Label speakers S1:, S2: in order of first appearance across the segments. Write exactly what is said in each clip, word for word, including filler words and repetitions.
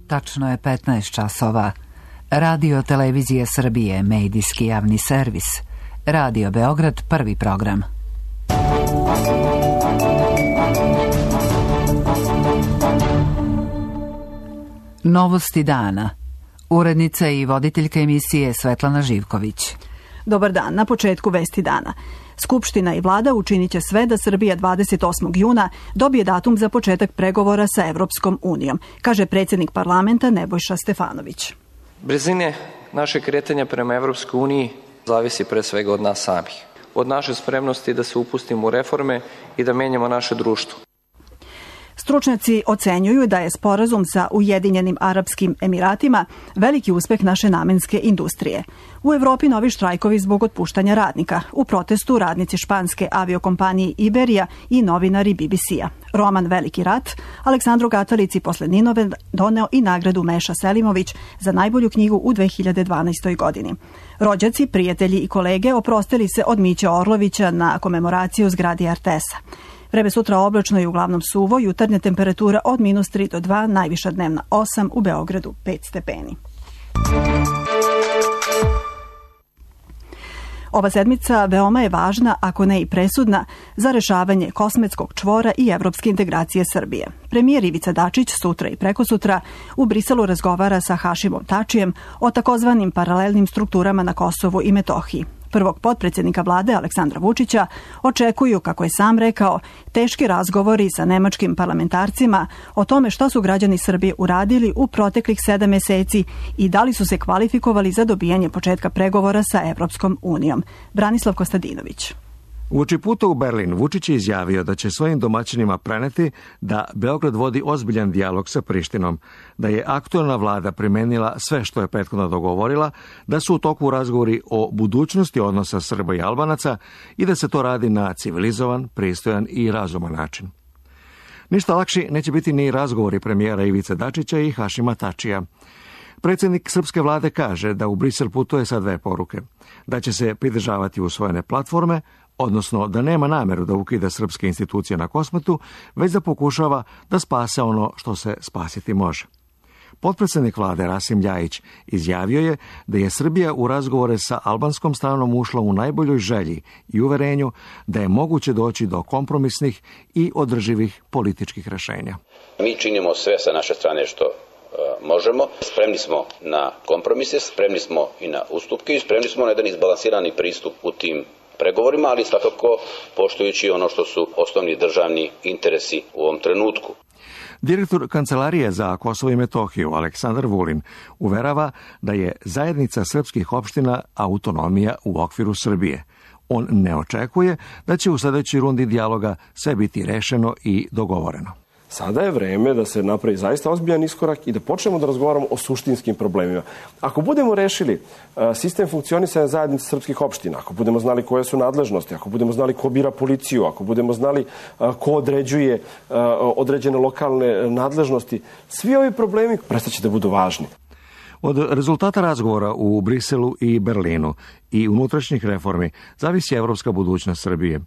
S1: Tačno je petnaest časova. Radio Televizije Srbije, medijski javni servis. Radio Beograd, prvi program. Novosti dana. Urednica i voditeljka emisije Svetlana Živković.
S2: Dobar dan, na početku vesti dana. Skupština i vlada učinit će sve da Srbija dvadeset osmog juna dobije datum za početak pregovora sa Evropskom unijom, kaže predsjednik parlamenta Nebojša Stefanović.
S3: Brzine naše kretanja prema Evropskoj uniji zavisi pre svega od nas samih. Od naše spremnosti da se upustimo u reforme i da menjamo naše društvo.
S2: Stručnjaci ocenjuju da je sporazum sa Ujedinjenim Arapskim Emiratima veliki uspeh naše namenske industrije. U Evropi novi štrajkovi zbog otpuštanja radnika. U protestu radnici španske aviokompanije Iberija i novinari B B C-a. Roman Veliki rat Aleksandru Gatalici posle Ninove doneo i nagradu Meša Selimović za najbolju knjigu u dve hiljade dvanaestoj. godini. Rođaci, prijatelji i kolege oprostili se od Miće Orlovića na komemoraciju u zgradi R T S-a. Vreme sutra oblačno i uglavnom suvo, jutarnja temperatura od minus tri do dva, najviša dnevna osam, u Beogradu pet stepeni. Ova sedmica veoma je važna, ako ne i presudna, za rešavanje kosmetskog čvora i evropske integracije Srbije. Premijer Ivica Dačić sutra i prekosutra u Briselu razgovara sa Hašimom Tačijem o takozvanim paralelnim strukturama na Kosovu i Metohiji. Prvog potpredsjednika vlade Aleksandra Vučića očekuju, kako je sam rekao, teški razgovori sa nemačkim parlamentarcima o tome što su građani Srbije uradili u proteklih sedam meseci i da li su se kvalifikovali za dobijanje početka pregovora sa Evropskom unijom. Branislav Kostadinović.
S4: Uoči puta u Berlin, Vučić je izjavio da će svojim domaćinima preneti da Beograd vodi ozbiljan dijalog sa Prištinom, da je aktuelna vlada primenila sve što je prethodno dogovorila, da su u toku razgovori o budućnosti odnosa Srba i Albanaca i da se to radi na civilizovan, pristojan i razuman način. Ništa lakši neće biti ni razgovori premijera Ivice Dačića i Hašima Tačija. Predsjednik srpske vlade kaže da u Brisel putuje sa dve poruke, da će se pridržavati usvojene platforme, odnosno da nema nameru da ukida srpske institucije na Kosmetu, već da pokušava da spase ono što se spasiti može. Potpredsjednik vlade Rasim Ljajić izjavio je da je Srbija u razgovore sa albanskom stranom ušla u najboljoj želji i uverenju da je moguće doći do kompromisnih i održivih političkih rešenja.
S5: Mi činimo sve sa naše strane što možemo. Spremni smo na kompromise, spremni smo i na ustupke i spremni smo na jedan izbalansirani pristup u tim pregovorima, ali svakako poštujući ono što su osnovni državni interesi u ovom trenutku.
S4: Direktor Kancelarije za Kosovo i Metohiju Aleksandar Vulin uverava da je zajednica srpskih opština autonomija u okviru Srbije. On ne očekuje da će u sljedećoj rundi dijaloga sve biti rešeno i dogovoreno.
S6: Sada je vreme da se napravi zaista ozbiljan iskorak i da počnemo da razgovaramo o suštinskim problemima. Ako budemo rešili sistem funkcionisanja zajednice srpskih opština, ako budemo znali koje su nadležnosti, ako budemo znali ko bira policiju, ako budemo znali ko određuje određene lokalne nadležnosti, svi ovi problemi prestaće da budu važni.
S4: Od rezultata razgovora u Briselu i Berlinu i unutrašnjih reformi zavisi evropska budućnost Srbije.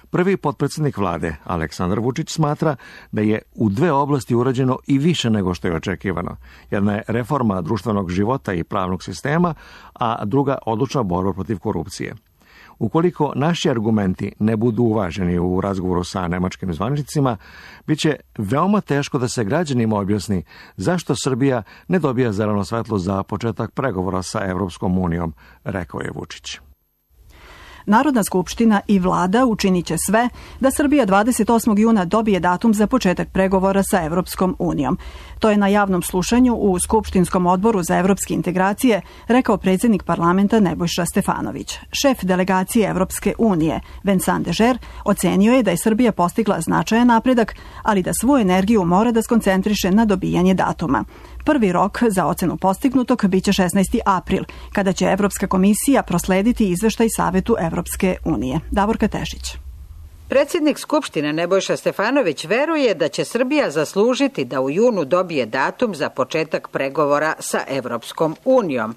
S4: Prvi potpredsjednik vlade, Aleksandar Vučić, smatra da je u dve oblasti urađeno i više nego što je očekivano. Jedna je reforma društvenog života i pravnog sistema, a druga odlučna borba protiv korupcije. Ukoliko naši argumenti ne budu uvaženi u razgovoru sa nemačkim zvaničnicima, bit će veoma teško da se građanima objasni zašto Srbija ne dobija zeleno svetlo za početak pregovora sa Evropskom unijom, rekao je Vučić.
S2: Narodna skupština i vlada učinit će sve da Srbija dvadeset osmog juna dobije datum za početak pregovora sa Evropskom unijom. To je na javnom slušanju u Skupštinskom odboru za evropske integracije rekao predsjednik parlamenta Nebojša Stefanović. Šef delegacije Evropske unije, Vincent Dežer, ocenio je da je Srbija postigla značajan napredak, ali da svu energiju mora da skoncentriše na dobijanje datuma. Prvi rok za ocenu postignutog biće šesnaesti april, kada će Evropska komisija proslediti izveštaj Savetu Evropske unije. Davorka Tešić.
S7: Predsjednik Skupštine Nebojša Stefanović veruje da će Srbija zaslužiti da u junu dobije datum za početak pregovora sa Evropskom unijom.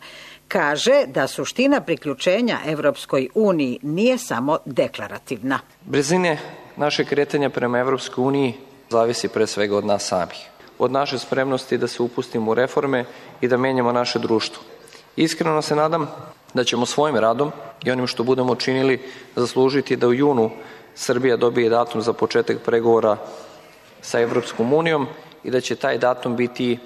S7: Kaže da suština priključenja Evropskoj uniji nije samo deklarativna.
S3: Brzine naše kretanja prema Evropskoj uniji zavisi pre svega od nas samih. od naše spremnosti da se upustimo u reforme i da menjamo naše društvo. Iskreno se nadam da ćemo svojim radom i onim što budemo činili zaslužiti da u junu Srbija dobije datum za početak pregovora sa Evropskom unijom i da će taj datum biti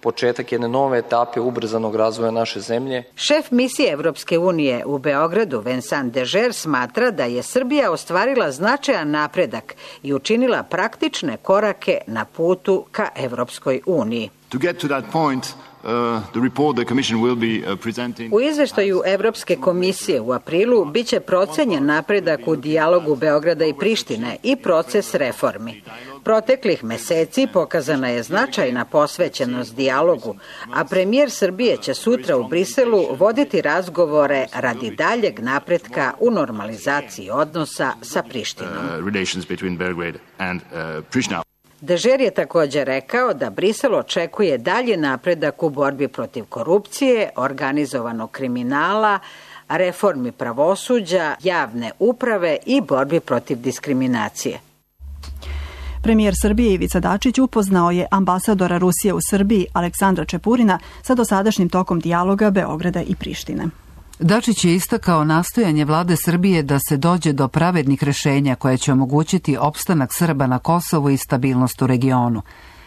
S3: početak jedne nove etape ubrzanog razvoja naše zemlje.
S7: Šef misije Evropske unije u Beogradu, Vincent Dežer, smatra da je Srbija ostvarila značajan napredak i učinila praktične korake na putu ka Evropskoj uniji.
S8: To get to that point, Uh, the report the Commission will be uh, presenting.
S7: U izveštaju Evropske komisije u aprilu biće procenjen napredak u dijalogu Beograda i Prištine i proces reformi. Proteklih meseci pokazana je značajna posvećenost dijalogu, a premijer Srbije će sutra u Briselu voditi razgovore radi daljeg napretka u normalizaciji odnosa sa Prištinom.
S8: Uh, relations between Belgrade and uh, Pristina.
S7: Dežer je također rekao da Brisel očekuje dalje napredak u borbi protiv korupcije, organizovanog kriminala, reformi pravosuđa, javne uprave i borbi protiv diskriminacije.
S2: Premijer Srbije Ivica Dačić upoznao je ambasadora Rusije u Srbiji Aleksandra Čepurina sa dosadašnjim tokom dijaloga Beograda i Prištine.
S1: Dačić je istakao nastojanje vlade Srbije da se dođe do pravednih rešenja koje će omogućiti opstanak Srba na Kosovu i stabilnost u regionu.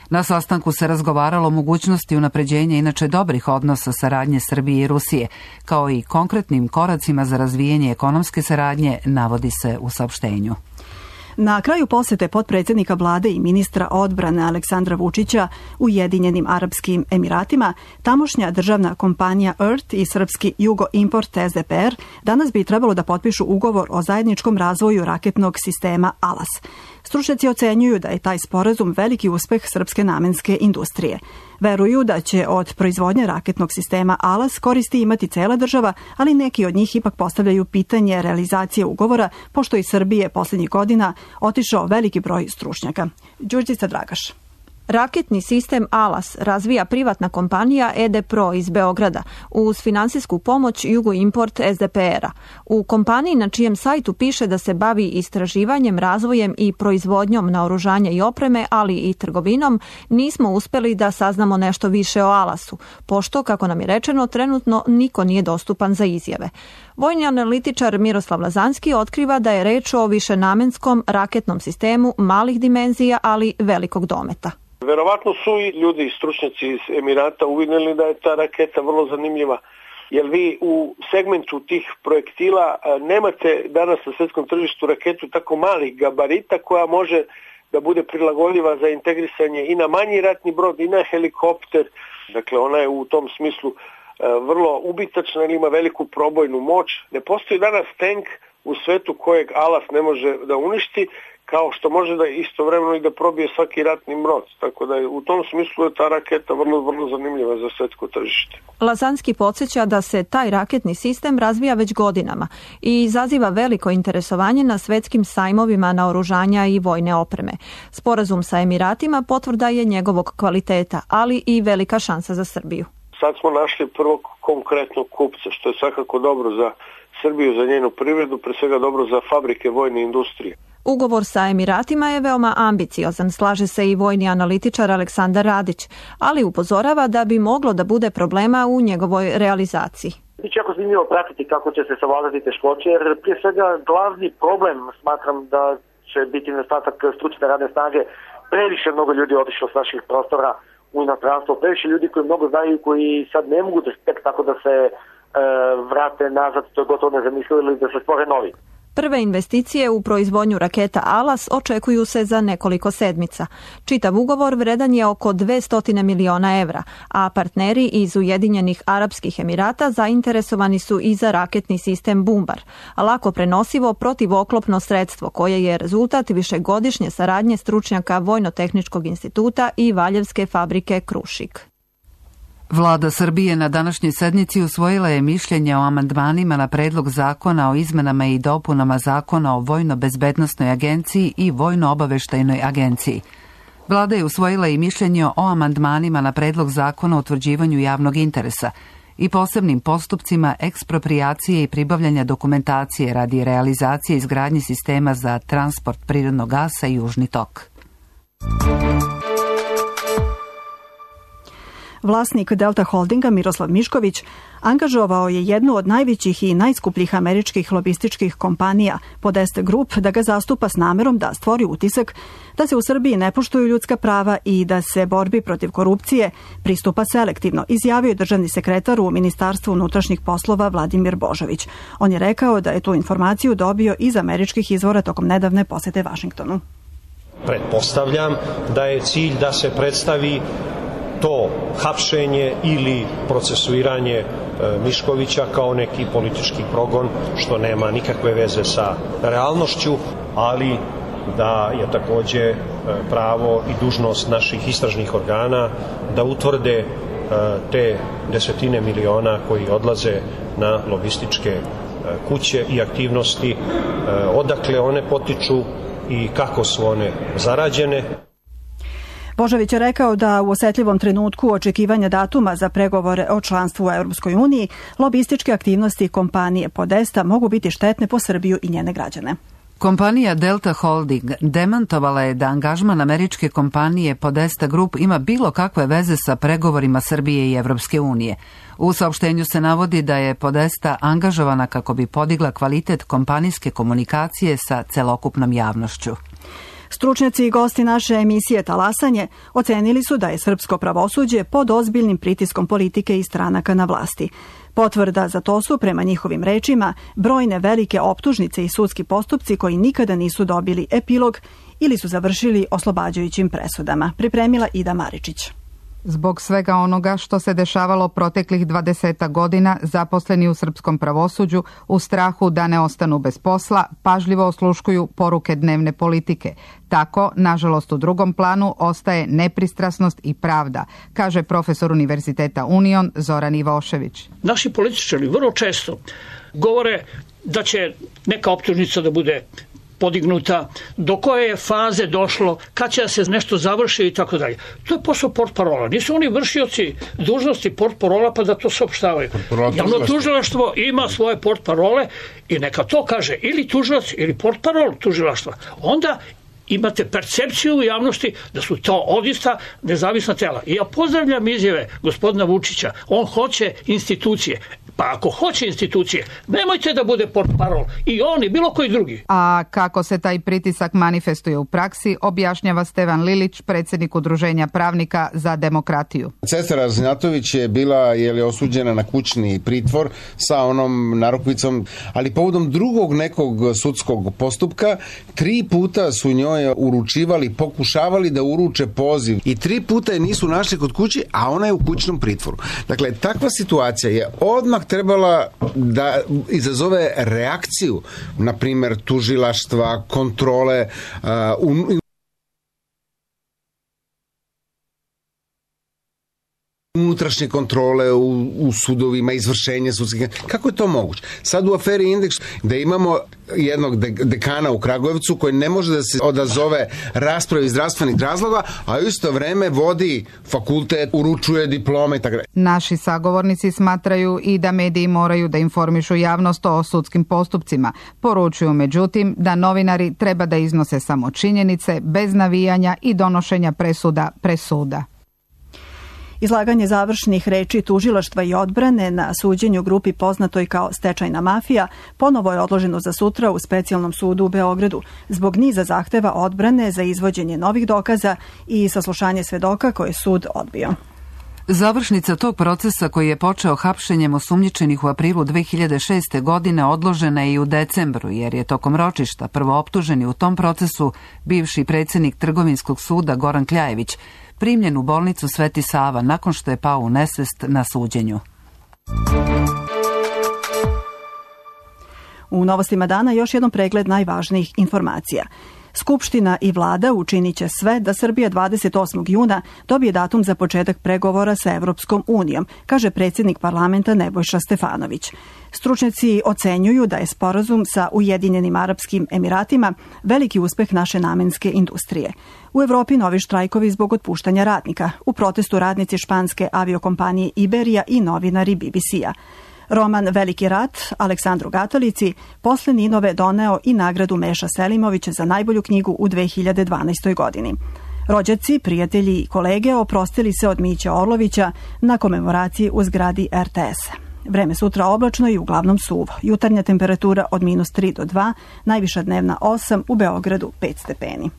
S1: Na sastanku se razgovaralo o mogućnosti unapređenja inače dobrih odnosa saradnje Srbije i Rusije, kao i konkretnim koracima za razvijanje ekonomske saradnje, navodi se u saopštenju.
S2: Na kraju posete potpredsjednika vlade i ministra odbrane Aleksandra Vučića Ujedinjenim Arapskim Emiratima, tamošnja državna kompanija E R T i srpski Jugo Import S D P R danas bi trebalo da potpišu ugovor o zajedničkom razvoju raketnog sistema ALAS. Stručnjaci ocenjuju da je taj sporazum veliki uspeh srpske namenske industrije. Veruju da će od proizvodnje raketnog sistema ALAS koristi imati cela država, ali neki od njih ipak postavljaju pitanje realizacije ugovora, pošto iz Srbije posljednjih godina otišao veliki broj stručnjaka. Đurđica Dragaš.
S9: Raketni sistem ALAS razvija privatna kompanija E D Pro iz Beograda uz finansijsku pomoć Jugo Import S D P R-a. U kompaniji na čijem sajtu piše da se bavi istraživanjem, razvojem i proizvodnjom naoružanja i opreme, ali i trgovinom, nismo uspeli da saznamo nešto više o ALAS-u, pošto, kako nam je rečeno, trenutno niko nije dostupan za izjave. Vojni analitičar Miroslav Lazanski otkriva da je reč o višenamenskom raketnom sistemu malih dimenzija, ali velikog dometa.
S10: Verovatno su i ljudi, stručnjaci iz Emirata uvidjeli da je ta raketa vrlo zanimljiva, jer vi u segmentu tih projektila nemate danas na svjetskom tržištu raketu tako malih gabarita koja može da bude prilagodljiva za integrisanje i na manji ratni brod i na helikopter. Dakle, ona je u tom smislu vrlo ubitačna ili ima veliku probojnu moć. Ne postoji danas tank u svetu kojeg ALAS ne može da uništi, kao što može da istovremeno i da probije svaki ratni brod. Tako da je u tom smislu je ta raketa vrlo, vrlo zanimljiva za svetsko tržište.
S9: Lazanski podsjeća da se taj raketni sistem razvija već godinama i izaziva veliko interesovanje na svetskim sajmovima naoružanja i vojne opreme. Sporazum sa Emiratima potvrda je njegovog kvaliteta, ali i velika šansa za Srbiju.
S10: Sad smo našli prvog konkretnog kupca, što je svakako dobro za Srbiju, za njenu privredu, pre svega dobro za fabrike vojne industrije.
S9: Ugovor sa Emiratima je veoma ambiciozan, slaže se i vojni analitičar Aleksandar Radić, ali upozorava da bi moglo da bude problema u njegovoj realizaciji.
S11: Biće jako zanimljivo pratiti kako će se savladati teškoće, jer prije svega glavni problem smatram da će biti nedostatak stručne radne snage. Previše mnogo ljudi otišlo s naših prostora u inostranstvo, previše ljudi koji mnogo znaju, koji sad ne mogu da tek tako da se e, vrate nazad, to je gotovo nezamislivo, ili da se stvore novi.
S9: Prve investicije u proizvodnju raketa ALAS očekuju se za nekoliko sedmica. Čitav ugovor vredan je oko dvesta miliona evra, a partneri iz Ujedinjenih Arapskih Emirata zainteresovani su i za raketni sistem Bumbar, lako prenosivo protivoklopno sredstvo koje je rezultat višegodišnje saradnje stručnjaka Vojno-tehničkog instituta i Valjevske fabrike Krušik.
S1: Vlada Srbije na današnjoj sednici usvojila je mišljenje o amandmanima na predlog zakona o izmenama i dopunama zakona o Vojno-bezbednosnoj agenciji i Vojno-obaveštajnoj agenciji. Vlada je usvojila i mišljenje o amandmanima na predlog zakona o utvrđivanju javnog interesa i posebnim postupcima eksproprijacije i pribavljanja dokumentacije radi realizacije izgradnje sistema za transport prirodnog gasa Južni tok.
S2: Vlasnik Delta Holdinga Miroslav Mišković angažovao je jednu od najvećih i najskupljih američkih lobističkih kompanija Podesta Group da ga zastupa s namerom da stvori utisak da se u Srbiji ne poštuju ljudska prava i da se borbi protiv korupcije pristupa selektivno, izjavio je državni sekretar u Ministarstvu unutrašnjih poslova Vladimir Božović. On je rekao da je tu informaciju dobio iz američkih izvora tokom nedavne posete Vašingtonu.
S12: Pretpostavljam da je cilj da se predstavi to hapšenje ili procesuiranje Miškovića kao neki politički progon, što nema nikakve veze sa realnošću, ali da je takođe pravo i dužnost naših istražnih organa da utvrde te desetine miliona koji odlaze na lobističke kuće i aktivnosti, odakle one potiču i kako su one zarađene.
S2: Božović je rekao da u osetljivom trenutku očekivanja datuma za pregovore o članstvu u Europskoj uniji lobističke aktivnosti kompanije Podesta mogu biti štetne po Srbiju i njene građane.
S1: Kompanija Delta Holding demantovala je da angažman američke kompanije Podesta Group ima bilo kakve veze sa pregovorima Srbije i Evropske unije. U saopštenju se navodi da je Podesta angažovana kako bi podigla kvalitet kompanijske komunikacije sa celokupnom javnošću.
S2: Stručnjaci i gosti naše emisije Talasanje ocenili su da je srpsko pravosuđe pod ozbiljnim pritiskom politike i stranaka na vlasti. Potvrda za to su, prema njihovim rečima, brojne velike optužnice i sudski postupci koji nikada nisu dobili epilog ili su završili oslobađajućim presudama. Pripremila Ida Maričić.
S13: Zbog svega onoga što se dešavalo proteklih dvadesetak godina, zaposleni u srpskom pravosuđu u strahu da ne ostanu bez posla, pažljivo osluškuju poruke dnevne politike. Tako, nažalost, u drugom planu ostaje nepristrasnost i pravda, kaže profesor Univerziteta Union Zoran Ivošević.
S14: Naši političari vrlo često govore da će neka optužnica da bude podignuta, do koje je faze došlo, kad će da se nešto završi i tako dalje. To je posao portparola. Nisu oni vršioci dužnosti portparola pa da to saopštavaju. Javno tužilaštvo ima svoje portparole i neka to kaže ili tužilac ili portparol tužilaštva. Onda imate percepciju u javnosti da su to odista nezavisna tela. I ja pozdravljam izjave gospodina Vučića. On hoće institucije. Pa ako hoće institucije, nemojte da bude portparol i on i bilo koji drugi.
S13: A kako se taj pritisak manifestuje u praksi, objašnjava Stevan Lilić, predsjednik Udruženja pravnika za demokratiju.
S15: Cesara Raznatović je bila je li, osuđena na kućni pritvor sa onom narukvicom, ali povodom drugog nekog sudskog postupka, tri puta su njoj uručivali, pokušavali da uruče poziv i tri puta je nisu našli kod kući, a ona je u kućnom pritvoru. Dakle, takva situacija je odmah trebala da izazove reakciju, na primjer tužilaštva, kontrole, uh, unutrašnje kontrole u, u sudovima, izvršenje sudskih. Kako je to moguće? Sad u aferi Indeks da imamo jednog dekana u Kragujevcu koji ne može da se odazove raspravi iz zdravstvenih razloga, a u isto vreme vodi fakultet, uručuje diplome i tako dalje.
S13: Naši sagovornici smatraju i da mediji moraju da informišu javnost o sudskim postupcima. Poručuju međutim da novinari treba da iznose samo činjenice bez navijanja i donošenja presuda presuda.
S2: Izlaganje završnih reči tužilaštva i odbrane na suđenju grupi poznatoj kao stečajna mafija ponovo je odloženo za sutra u specijalnom sudu u Beogradu zbog niza zahteva odbrane za izvođenje novih dokaza i saslušanje svedoka koje sud odbio.
S1: Završnica tog procesa koji je počeo hapšenjem osumnjičenih u aprilu dve hiljade šeste. godine odložena je i u decembru, jer je tokom ročišta prvo optuženi u tom procesu bivši predsjednik Trgovinskog suda Goran Kljajević primljen u bolnicu Sveti Sava nakon što je pao u nesvest na suđenju.
S2: U novostima dana još jedan pregled najvažnijih informacija. Skupština i vlada učinit će sve da Srbija dvadeset osmog juna dobije datum za početak pregovora sa Evropskom unijom, kaže predsjednik parlamenta Nebojša Stefanović. Stručnjaci ocenjuju da je sporazum sa Ujedinjenim Arapskim Emiratima veliki uspeh naše namenske industrije. U Evropi novi štrajkovi zbog otpuštanja radnika. U protestu radnici španske aviokompanije Iberija i novinari B B C-a. Roman Veliki rat Aleksandru Gatolici posle Ninove doneo i nagradu Meša Selimovića za najbolju knjigu u dve hiljade dvanaestoj. godini. Rođaci, prijatelji i kolege oprostili se od Mića Orlovića na komemoraciji u zgradi er te es-a. Vreme sutra oblačno i uglavnom suvo. Jutarnja temperatura od minus tri do dva, najviša dnevna osam, u Beogradu pet stepeni.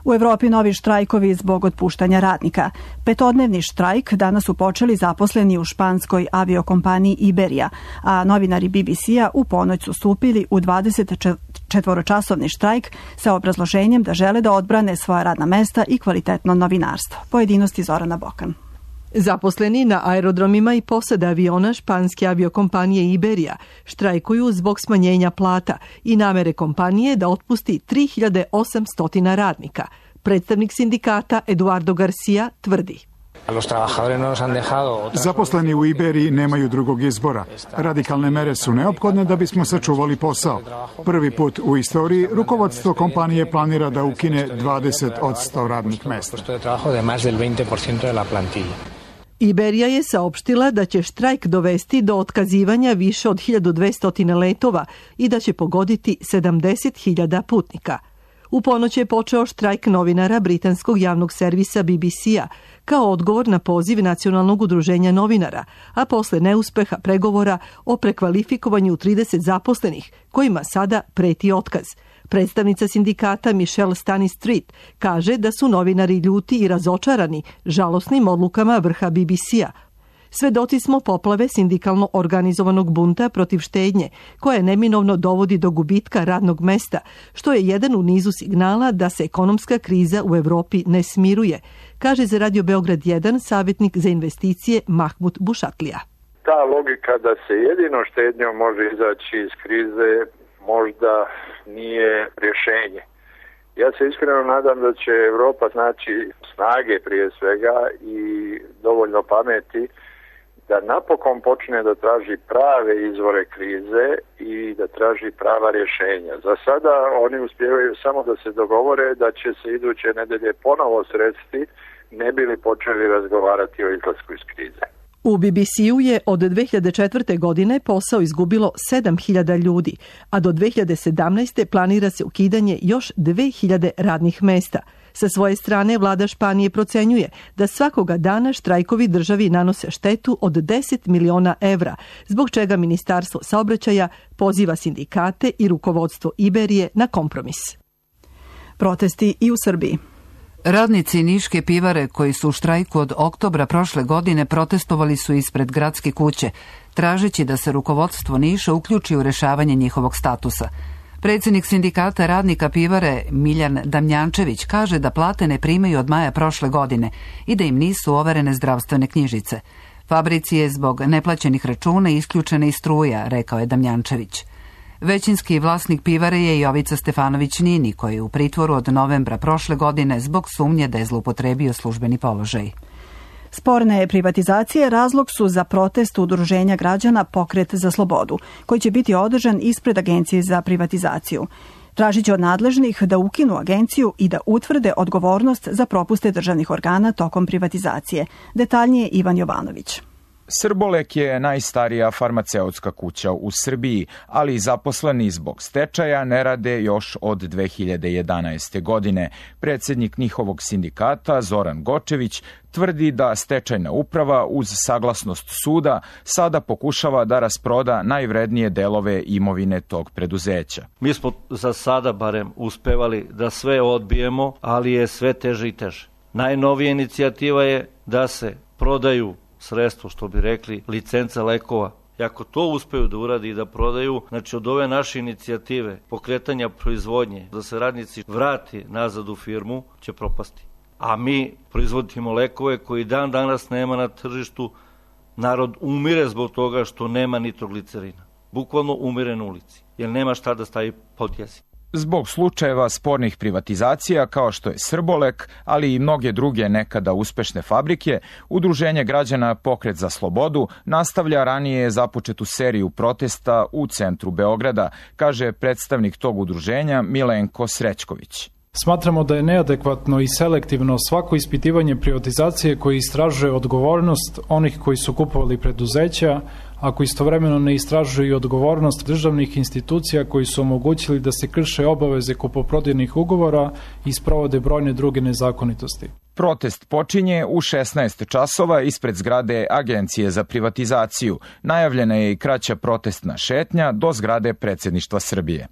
S2: U Evropi novi štrajkovi zbog otpuštanja radnika. Petodnevni štrajk danas su počeli zaposleni u španskoj aviokompaniji Iberija, a novinari be be ce-a u ponoć su stupili u dvadesetčetvoročasovni štrajk sa obrazloženjem da žele da odbrane svoja radna mesta i kvalitetno novinarstvo. Pojedinosti Zorana Bokan.
S16: Zaposleni na aerodromima i posade aviona španske aviokompanije Iberija štrajkuju zbog smanjenja plata i namere kompanije da otpusti tri hiljade osamsto radnika. Predstavnik sindikata Eduardo Garcia tvrdi:
S17: Zaposleni u Iberiji nemaju drugog izbora. Radikalne mere su neophodne da bismo sačuvali posao. Prvi put u istoriji rukovodstvo kompanije planira da ukine dvadeset posto radnih mesta.
S16: Iberija je saopštila da će štrajk dovesti do otkazivanja više od hiljadu dvesta letova i da će pogoditi sedamdeset hiljada putnika. U ponoć je počeo štrajk novinara britanskog javnog servisa be be ce-a kao odgovor na poziv Nacionalnog udruženja novinara, a posle neuspeha pregovora o prekvalifikovanju trideset zaposlenih, kojima sada preti otkaz. Predstavnica sindikata Michelle Stanistreet kaže da su novinari ljuti i razočarani žalosnim odlukama vrha be be ce-a. Svedoci smo poplave sindikalno organizovanog bunta protiv štednje, koja neminovno dovodi do gubitka radnog mesta, što je jedan u nizu signala da se ekonomska kriza u Evropi ne smiruje, kaže za Radio Beograd jedan savjetnik za investicije Mahmud Bušatlija.
S18: Ta logika da se jedino štednjom može izaći iz krize možda nije rješenje. Ja se iskreno nadam da će Evropa naći snage prije svega i dovoljno pameti da napokon počne da traži prave izvore krize i da traži prava rješenja. Za sada oni uspijevaju samo da se dogovore da će se iduće nedelje ponovo sresti, ne bi li počeli razgovarati o izlasku iz krize.
S16: U be be ce-u je od dve hiljade četvrte. godine posao izgubilo sedam hiljada ljudi, a do dve hiljade sedamnaeste. planira se ukidanje još dve hiljade radnih mesta. Sa svoje strane, vlada Španije procenjuje da svakoga dana štrajkovi državi nanose štetu od deset miliona evra, zbog čega Ministarstvo saobraćaja poziva sindikate i rukovodstvo Iberije na kompromis.
S2: Protesti i u Srbiji.
S1: Radnici Niške pivare koji su u štrajku od oktobra prošle godine protestovali su ispred gradske kuće, tražeći da se rukovodstvo Niša uključi u rešavanje njihovog statusa. Predsjednik sindikata radnika pivare Miljan Damnjančević kaže da plate ne primaju od maja prošle godine i da im nisu overene zdravstvene knjižice. Fabrici je zbog neplaćenih računa isključena i struja, rekao je Damnjančević. Većinski vlasnik pivare je Jovica Stefanović Nini, koji je u pritvoru od novembra prošle godine zbog sumnje da je zloupotrebio službeni položaj.
S2: Sporne privatizacije razlog su za protest udruženja građana Pokret za slobodu, koji će biti održan ispred Agencije za privatizaciju. Tražit će od nadležnih da ukinu agenciju i da utvrde odgovornost za propuste državnih organa tokom privatizacije. Detaljnije Ivan Jovanović.
S19: Srbolek je najstarija farmaceutska kuća u Srbiji, ali zaposleni zbog stečaja ne rade još od dve hiljade jedanaeste. godine. Predsjednik njihovog sindikata, Zoran Gočević, tvrdi da stečajna uprava uz saglasnost suda sada pokušava da rasproda najvrednije delove imovine tog preduzeća.
S20: Mi smo za sada barem uspevali da sve odbijemo, ali je sve teže i teže. Najnovija inicijativa je da se prodaju sredstvo, što bi rekli, licenca lekova. I ako to uspeju da uradi i da prodaju, znači od ove naše inicijative pokretanja proizvodnje, da se radnici vrati nazad u firmu, će propasti. A mi proizvodimo lekove koji dan danas nema na tržištu. Narod umire zbog toga što nema nitroglicerina. Bukvalno umire na ulici, jer nema šta da stavi pod jezik.
S19: Zbog slučajeva spornih privatizacija kao što je Srbolek, ali i mnoge druge nekada uspešne fabrike, Udruženje građana Pokret za slobodu nastavlja ranije započetu seriju protesta u centru Beograda, kaže predstavnik tog udruženja Milenko Srećković.
S21: Smatramo da je neadekvatno i selektivno svako ispitivanje privatizacije koji istražuje odgovornost onih koji su kupovali preduzeća, ako istovremeno ne istražuju i odgovornost državnih institucija koji su omogućili da se krše obaveze kupoprodajnih ugovora i sprovode brojne druge nezakonitosti.
S19: Protest počinje u šesnaest časova ispred zgrade Agencije za privatizaciju. Najavljena je i kraća protestna šetnja do zgrade Predsjedništva Srbije.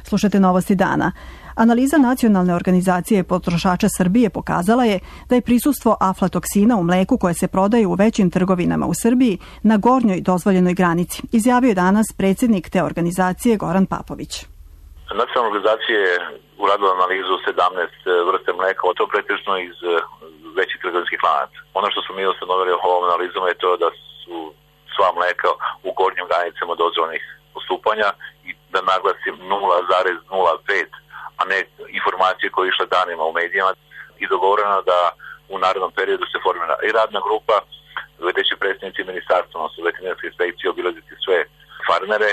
S2: Slušajte novosti dana. Analiza Nacionalne organizacije potrošača Srbije pokazala je da je prisustvo aflatoksina u mleku koje se prodaje u većim trgovinama u Srbiji na gornjoj dozvoljenoj granici, izjavio je danas predsjednik te organizacije Goran Papović.
S22: Nacionalna organizacija je uradila analizu sedamnaest vrste mleka, o to pretežno iz većih trgovinskih lanaca. Ono što smo mi ustanovili ovom analizom je to da su sva mleka u gornjim granicama dozvoljenih postupanja i da naglasim nula zarez nula pet, a ne informacije koje je išle danima u medijima, i dogovoreno da u narednom periodu se formira i radna grupa, gde će predstavnici ministarstva, odnosno veterinarske inspekcije, obilaziti sve farmere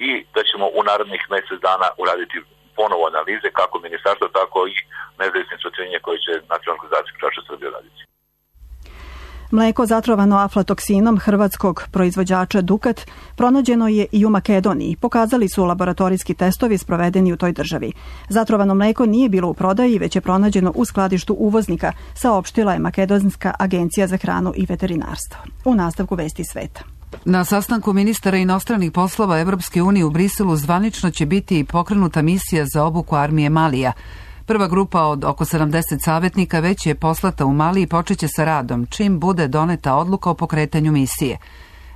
S22: i da ćemo u narednih mjesec dana uraditi ponovo analize kako ministarstvo, tako i nezavisne istraživanje koje će Nacionalna organizacija potrošača Srbije raditi.
S2: Mleko zatrovano aflatoksinom hrvatskog proizvođača Dukat pronađeno je i u Makedoniji. Pokazali su laboratorijski testovi sprovedeni u toj državi. Zatrovano mleko nije bilo u prodaji, već je pronađeno u skladištu uvoznika, saopštila je Makedonska agencija za hranu i veterinarstvo. U nastavku vesti sveta.
S1: Na sastanku ministara inostranih poslova Evropske unije u Briselu zvanično će biti pokrenuta misija za obuku armije Malija. Prva grupa od oko sedamdeset savjetnika već je poslata u Mali i počeće sa radom, čim bude doneta odluka o pokretanju misije.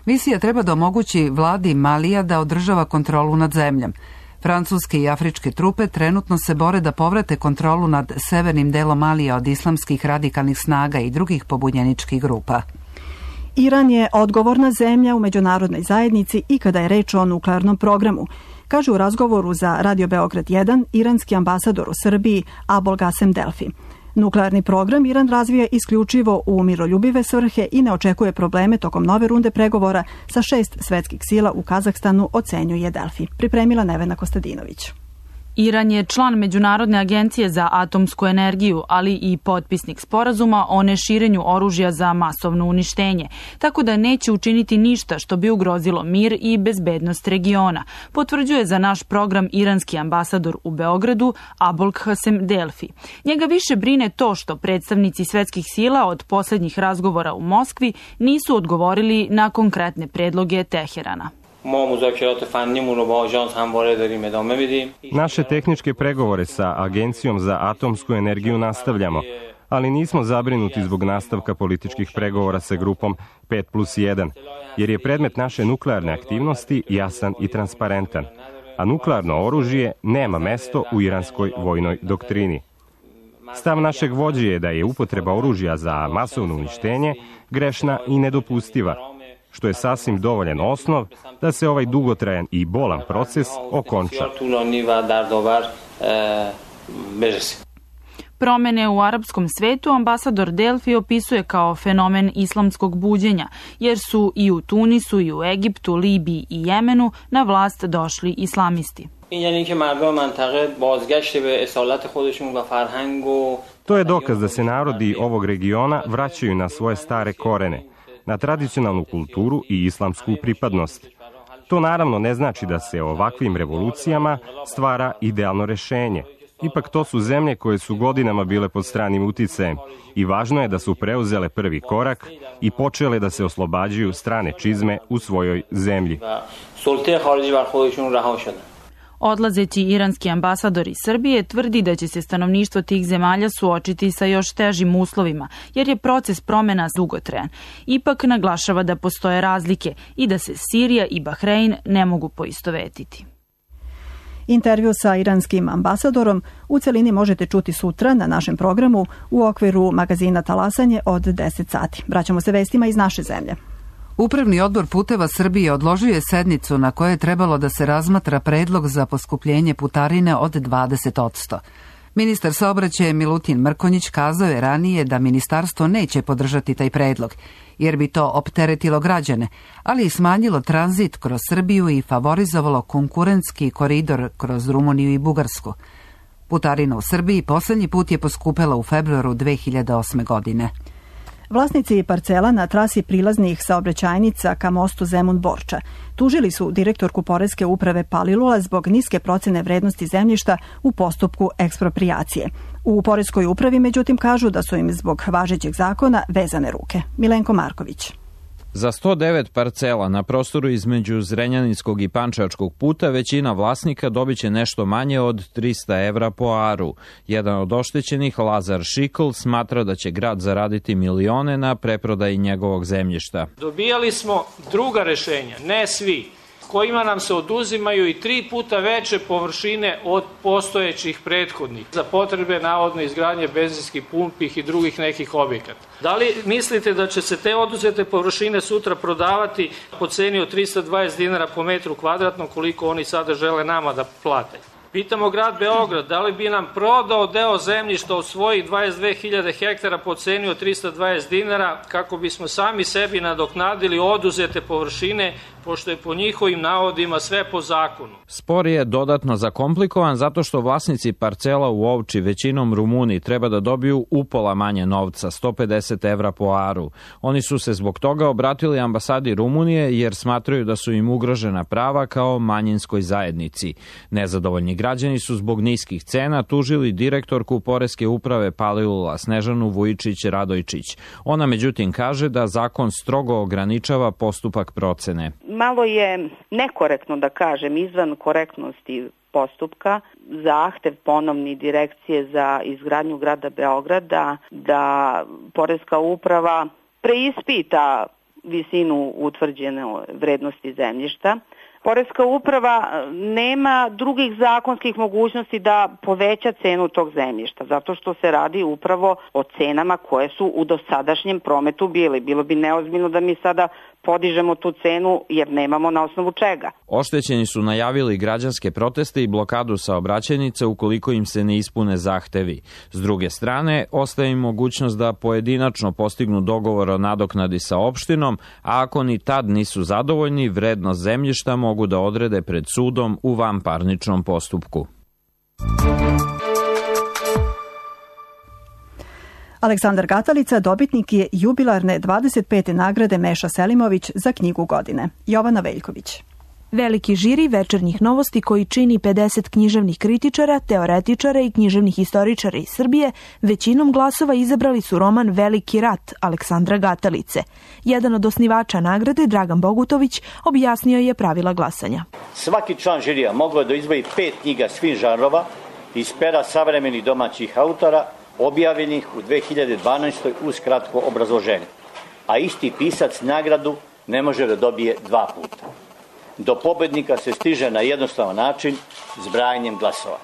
S1: Misija treba da omogući vladi Malija da održava kontrolu nad zemljom. Francuske i afričke trupe trenutno se bore da povrate kontrolu nad severnim delom Malija od islamskih radikalnih snaga i drugih pobunjeničkih grupa.
S2: Iran je odgovorna zemlja u međunarodnoj zajednici i kada je reč o nuklearnom programu, kaže u razgovoru za Radio Beograd jedan iranski ambasador u Srbiji Abol Gasem Delfi. Nuklearni program Iran razvija isključivo u miroljubive svrhe i ne očekuje probleme tokom nove runde pregovora sa šest svetskih sila u Kazahstanu, ocenjuje Delfi. Pripremila Nevena Kostadinović.
S23: Iran je član Međunarodne agencije za atomsku energiju, ali i potpisnik sporazuma o neširenju oružja za masovno uništenje, tako da neće učiniti ništa što bi ugrozilo mir i bezbednost regiona, potvrđuje za naš program iranski ambasador u Beogradu Abol Gasem Delfi. Njega više brine to što predstavnici svetskih sila od posljednjih razgovora u Moskvi nisu odgovorili na konkretne predloge Teherana.
S24: Naše tehničke pregovore sa Agencijom za atomsku energiju nastavljamo, ali nismo zabrinuti zbog nastavka političkih pregovora sa grupom pet plus jedan, jer je predmet naše nuklearne aktivnosti jasan i transparentan, a nuklearno oružje nema mesto u iranskoj vojnoj doktrini. Stav našeg vođe je da je upotreba oružja za masovno uništenje grešna i nedopustiva, što je sasvim dovoljan osnov da se ovaj dugotrajan i bolan proces okonča.
S23: Promene u arapskom svetu ambasador Delfi opisuje kao fenomen islamskog buđenja, jer su i u Tunisu, i u Egiptu, Libiji i Jemenu na vlast došli islamisti.
S24: To je dokaz da se narodi ovog regiona vraćaju na svoje stare korene, na tradicionalnu kulturu i islamsku pripadnost. To naravno ne znači da se ovakvim revolucijama stvara idealno rešenje. Ipak to su zemlje koje su godinama bile pod stranim uticajem i važno je da su preuzele prvi korak i počele da se oslobađaju strane čizme u svojoj zemlji.
S23: Odlazeći iranski ambasador iz Srbije tvrdi da će se stanovništvo tih zemalja suočiti sa još težim uslovima, jer je proces promena dugotrajan. Ipak naglašava da postoje razlike i da se Sirija i Bahrein ne mogu poistovetiti.
S2: Intervju sa iranskim ambasadorom u celini možete čuti sutra na našem programu u okviru magazina Talasanje od deset sati. Vraćamo se vestima iz naše zemlje.
S1: Upravni odbor Puteva Srbije odložio je sednicu na kojoj je trebalo da se razmatra predlog za poskupljenje putarine od dvadeset odsto. Ministar saobraćaja Milutin Mrkonjić kazao je ranije da ministarstvo neće podržati taj predlog, jer bi to opteretilo građane, ali i smanjilo tranzit kroz Srbiju i favorizovalo konkurentski koridor kroz Rumuniju i Bugarsku. Putarina u Srbiji poslednji put je poskupela u februaru dve hiljade osme. godine.
S2: Vlasnici parcela na trasi prilaznih saobraćajnica ka mostu Zemun-Borča tužili su direktorku Poreske uprave Palilula zbog niske procene vrednosti zemljišta u postupku eksproprijacije. U Poreskoj upravi, međutim, kažu da su im zbog važećeg zakona vezane ruke. Milenko Marković.
S3: Za sto devet parcela na prostoru između Zrenjaninskog i Pančevačkog puta većina vlasnika dobiće nešto manje od trista evra po aru. Jedan od oštećenih, Lazar Šikl, smatra da će grad zaraditi milione na preprodaji njegovog zemljišta.
S4: Dobijali smo druga rešenja, ne svi, kojima nam se oduzimaju i tri puta veće površine od postojećih prethodnih za potrebe navodno izgradnje benzinskih pumpi i drugih nekih objekata. Da li mislite da će se te oduzete površine sutra prodavati po ceni od trista dvadeset dinara po metru kvadratnom, koliko oni sada žele nama da plate? Pitamo grad Beograd, da li bi nam prodao deo zemljišta od svojih dvadeset dve hiljade hektara po ceni od trista dvadeset dinara kako bismo sami sebi nadoknadili oduzete površine, pošto je po njihovim navodima sve po zakonu.
S3: Spor je dodatno zakomplikovan zato što vlasnici parcela u Ovči, većinom Rumuni, treba da dobiju upola manje novca, sto pedeset evra po aru. Oni su se zbog toga obratili ambasadi Rumunije jer smatraju da su im ugrožena prava kao manjinskoj zajednici. Nezadovoljni građani su zbog niskih cena tužili direktorku Poreske uprave Palilula Snežanu Vujičić-Radojčić. Ona međutim kaže da zakon strogo ograničava postupak procene.
S5: Malo je nekorektno, da kažem, izvan korektnosti postupka, zahtev ponovni direkcije za izgradnju grada Beograda da Poreska uprava preispita visinu utvrđene vrednosti zemljišta. Poreska uprava nema drugih zakonskih mogućnosti da poveća cenu tog zemljišta, zato što se radi upravo o cenama koje su u dosadašnjem prometu bili. Bilo bi neozbiljno da mi sada podižemo tu cenu jer nemamo na osnovu čega.
S3: Oštećeni su najavili građanske proteste i blokadu saobraćajnice ukoliko im se ne ispune zahtevi. S druge strane, ostaje im mogućnost da pojedinačno postignu dogovor o nadoknadi sa opštinom, a ako ni tad nisu zadovoljni, vrednost zemljišta mogu da odrede pred sudom u vanparničnom postupku.
S2: Aleksandar Gatalica dobitnik je jubilarne dvadeset pete nagrade Meša Selimović za knjigu godine. Jovana Veljković.
S9: Veliki žiri večernjih novosti koji čini pedeset književnih kritičara, teoretičara i književnih istoričara iz Srbije većinom glasova izabrali su roman Veliki rat Aleksandra Gatalice. Jedan od osnivača nagrade, Dragan Bogutović, objasnio je pravila glasanja.
S6: Svaki član žirija mogao je da izvoji pet knjiga svih žanrova iz pera savremenih domaćih autora objavljenih u dve hiljade dvanaestoj uz kratko obrazloženje. A isti pisac nagradu ne može da dobije dva puta. Do pobednika se stiže na jednostavan način zbrajanjem glasova.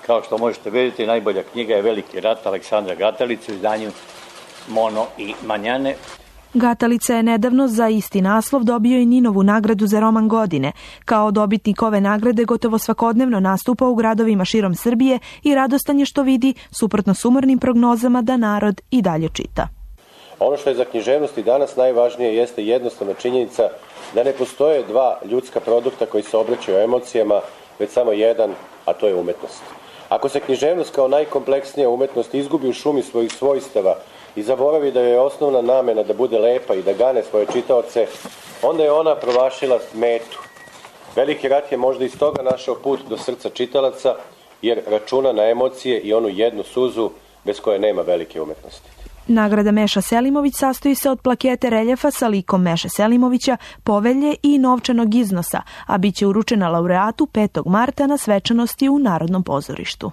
S6: Kao što možete vidjeti, najbolja knjiga je Veliki rat Aleksandra Gatalice u izdanju Mono i Manjane.
S9: Gatalica je nedavno za isti naslov dobio i Ninovu nagradu za roman godine. Kao dobitnik ove nagrade gotovo svakodnevno nastupa u gradovima širom Srbije i radostan je što vidi, suprotno sumornim prognozama, da narod i dalje čita.
S25: Ono što je za književnost i danas najvažnije jeste jednostavna činjenica da ne postoje dva ljudska produkta koji se obraćaju emocijama, već samo jedan, a to je umetnost. Ako se književnost kao najkompleksnija umetnost izgubi u šumi svojih svojstava i zaboravi da je osnovna namena da bude lepa i da gane svoje čitaoce, onda je ona promašila metu. Veliki rat je možda iz toga našao put do srca čitalaca, jer računa na emocije i onu jednu suzu bez koje nema velike umetnosti.
S9: Nagrada Meša Selimović sastoji se od plakete reljefa sa likom Meše Selimovića, povelje i novčanog iznosa, a bit će uručena laureatu petog marta na svečanosti u Narodnom pozorištu.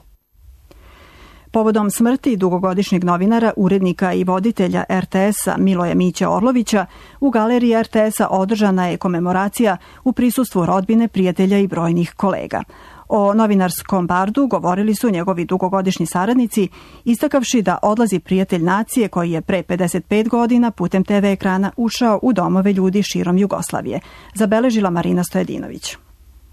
S2: Povodom smrti dugogodišnjeg novinara, urednika i voditelja er te es-a Miloja Miće Orlovića, u galeriji er te es-a održana je komemoracija u prisustvu rodbine, prijatelja i brojnih kolega. O novinarskom bardu govorili su njegovi dugogodišnji saradnici, istakavši da odlazi prijatelj nacije koji je pre pedeset pet godina putem te ve ekrana ušao u domove ljudi širom Jugoslavije, zabeležila Marina Stojedinović.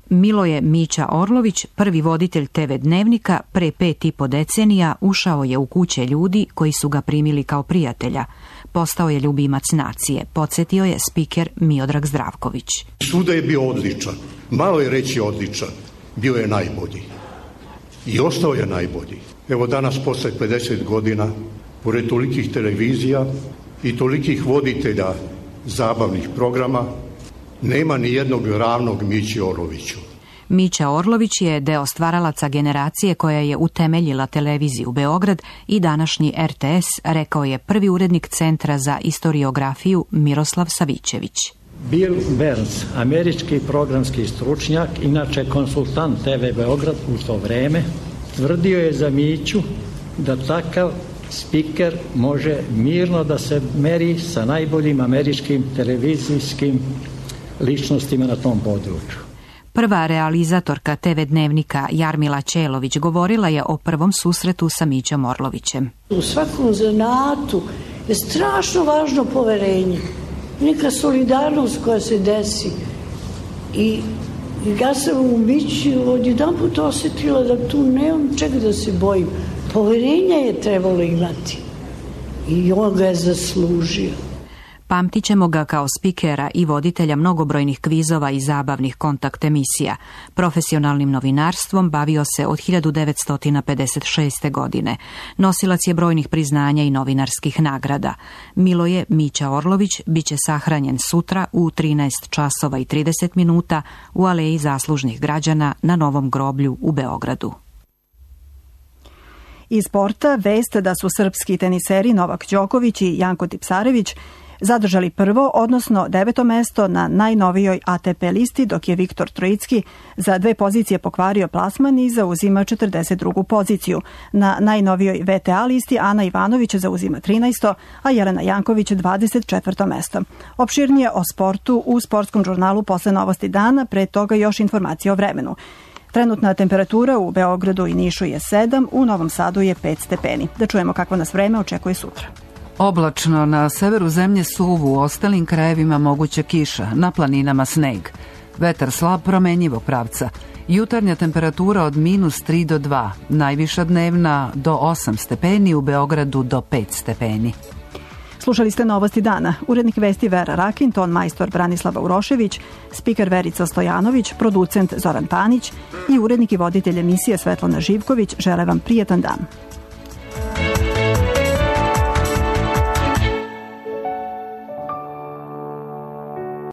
S26: Miloje Mića Orlović, prvi voditelj te ve dnevnika, pre pet i po decenija ušao je u kuće ljudi koji su ga primili kao prijatelja. Postao je ljubimac nacije, podsjetio je spiker Miodrag Zdravković.
S27: Svuda je bio odličan, malo je reći odličan, bio je najbolji.
S7: i ostao je najbolji. Evo danas, posle pedeset godina, pored tolikih televizija i tolikih voditelja zabavnih programa, nema ni jednog ravnog Mići Orloviću.
S26: Mića Orlović je deo stvaralaca generacije koja je utemeljila televiziju Beograd i današnji er te es, rekao je prvi urednik Centra za istoriografiju Miroslav Savićević.
S8: Bill Burns, američki programski stručnjak, inače konsultant te ve Beograd u to vreme, tvrdio je za Miću da takav spiker može mirno da se meri sa najboljim američkim televizijskim ličnostima na tom području.
S26: Prva realizatorka te ve dnevnika Jarmila Ćelović govorila je o prvom susretu sa Mićom Orlovićem.
S10: U svakom zanatu je strašno važno poverenje, neka solidarnost koja se desi. I ja sam u Mići odjedan put osjetila da tu nemam čega da se bojim. Poverenja je trebalo imati i on ga je zaslužio.
S26: Pamtit ćemo ga kao spikera i voditelja mnogobrojnih kvizova i zabavnih kontakt emisija. Profesionalnim novinarstvom bavio se od hiljadu devetsto pedeset šeste. godine. Nosilac je brojnih priznanja i novinarskih nagrada. Miloje Mića Orlović biće sahranjen sutra u trinaest časova i trideset minuta u Aleji zaslužnih građana na Novom groblju u Beogradu.
S2: Iz sporta vest da su srpski teniseri Novak Đoković i Janko Tipsarević zadržali prvo, odnosno deveto mesto na najnovijoj a te pe listi, dok je Viktor Trojicki za dve pozicije pokvario plasman i zauzima četrdeset drugu poziciju. Na najnovijoj ve te a listi Ana Ivanović zauzima trinaesto, a Jelena Janković dvadeset četvrto mesto. Opširnije o sportu u sportskom žurnalu posle novosti dana, pre toga još informacije o vremenu. Trenutna temperatura u Beogradu i Nišu je sedam, u Novom Sadu je pet stepeni. Da čujemo kakvo nas vreme očekuje sutra.
S1: Oblačno, na severu zemlje suvu, u ostalim krajevima moguća kiša, na planinama sneg. Vetar slab promenjivog pravca. Jutarnja temperatura od minus tri do dva, najviša dnevna do osam stepeni, u Beogradu do pet stepeni.
S2: Slušali ste novosti dana. Urednik vesti Vera Rakin, ton majstor Branislava Urošević, spiker Verica Stojanović, producent Zoran Panić i urednik i voditelj emisije Svetlana Živković žele vam prijetan dan.